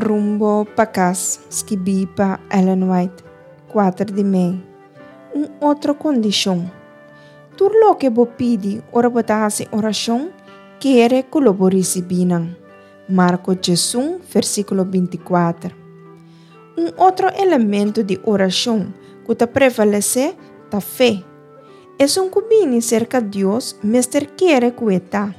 Rumbo pa kas, skibí pa Ellen White, kuater di mei. Un otro kondishon. Tur loke bo pidi ora bo ta hasi orashon, kere ku lo bo risibí nan. Marko 11, versíkulo 24. Un otro elemento di orashon ku ta prevalesé ta fe. Esun ku bini serka Dios mester kere ku e ta,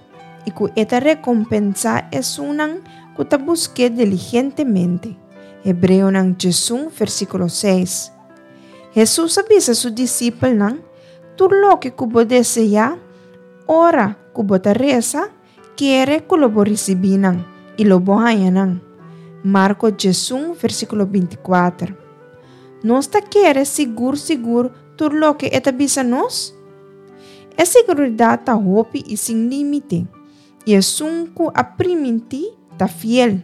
i ku e ta rekompensá esunnan ku ta busk'é diligentemente. Hebreonan 11, versíkulo 6. Hesus a bisa su disipelnan, Tur loke ku bo deseá, ora ku bo ta resa, kere ku lo bo risibí nan, i lo bo haña nan. Marko 11, versíkulo 24. Nos ta kere sigur sigur tur loke e ta bisa nos? E seguridat ta hopi i sin límite, i esun ku a primintí ta fiel.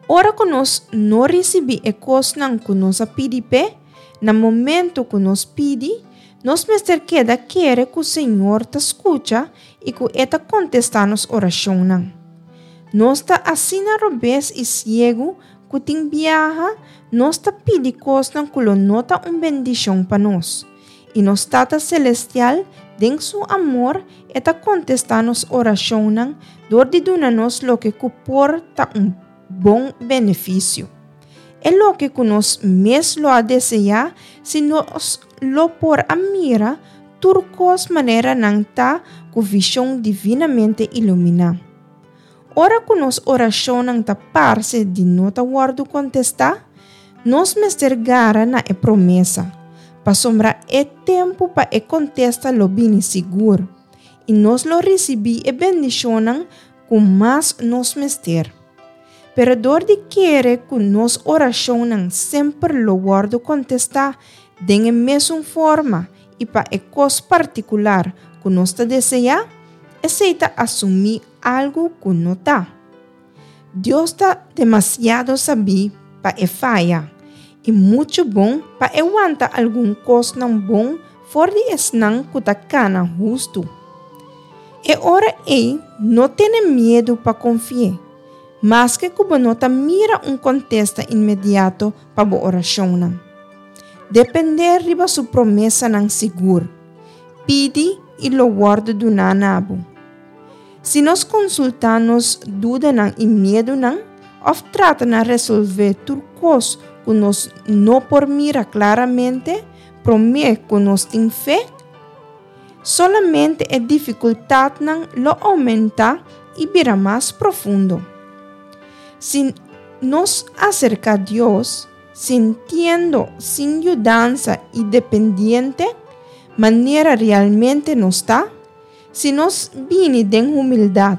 Ora ku nos no risibí e kosnan ku nos a pidi p'e, na momentu ku nos pidi, nos mester keda kere ku Señor ta skucha i ku e ta kontestá nos orashonnan. Nos ta asina robes i siegu ku tin biaha nos ta pidi kosnan ku lo no ta un bendishon pa nos. I nos Tata Selestial, den Su amor, E ta kontestá nos orashonnan dor di duna nos loke ku por ta un bon benefisio. E loke ku nos mes lo a deseá si nos lo por a mira tur kos manera nan ta ku vishon divinamente iluminá. Ora ku nos orashonnan ta parse di no ta wòrdu kontestá, nos mester gara na e promesa, pasobra e tempu pa e kontesta lo bini sigur, i nos lo risibí e bendishonnan ku mas nos mester. Pero dor di kere ku nos orashonnan semper lo wòrdu kontestá den e mesun forma i pa e kos partikular ku nos ta deseá, esei ta asumí algu ku no ta. Dios ta demasiado sabí pa e faya i muchu bon pa e wanta algun kosnan bon for di esnan ku ta kana hustu. E ora ei no tene miedu pa konfi'é, maske ku bo no ta mira un kontesta inmediato pa bo orashonnan. Dependé riba su promesanan sigur. Pidi i lo wòrdu duná na bo. Si nos konsultá nos dudanan i miedunan òf trata na resolvé tur kos ku nos no por mira klaramente promé ku nos tin fe, solamente e difikultatnan lo oumentá i bira mas profundo. Si nos aserká Dios sintiendo sin yudansa i dependiente, manera realmente nos ta, Si nos bini den humildat,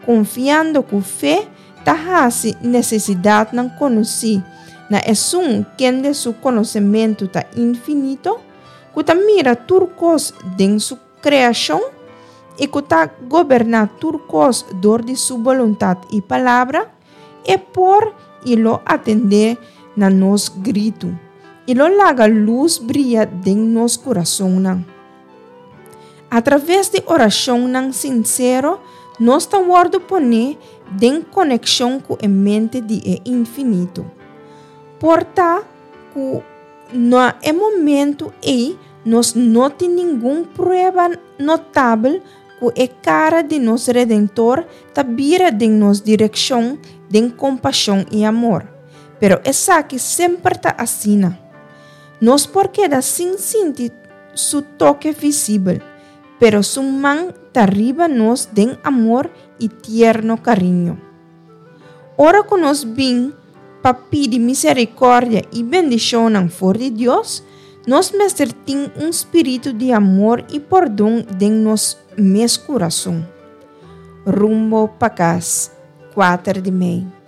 konfiando ku fe ta hasi nesesidatnan konosí na Esun kende su konosementu ta infinito, ku ta mira tur kos den su kreashon i ku ta goberná tur kos dor di su boluntat i palabra, e por i lo atendé na nos gritu i lo laga lus bria den nos kurasonnan. Atraves di orashonnan sinsero, nos ta wòrdu poné den konekshon ku e mente di e Infinito. Por ta ku na e momentu ei nos no tin ningun prueba notabel ku e kara di nos Redentor ta bira den nos direkshon den kompashon i amor, pero esaki semper ta asina. Nos por keda sin sinti su toke visibel, pero su man ta riba nos den amor i tierno kariño. Ora ku nos bin pa pidi miserikòrdia i bendishonnan for di Dios, nos mester tin un spiritu di amor i pordon den nos mes kurason. Rumbo pa kas, 4 di mei.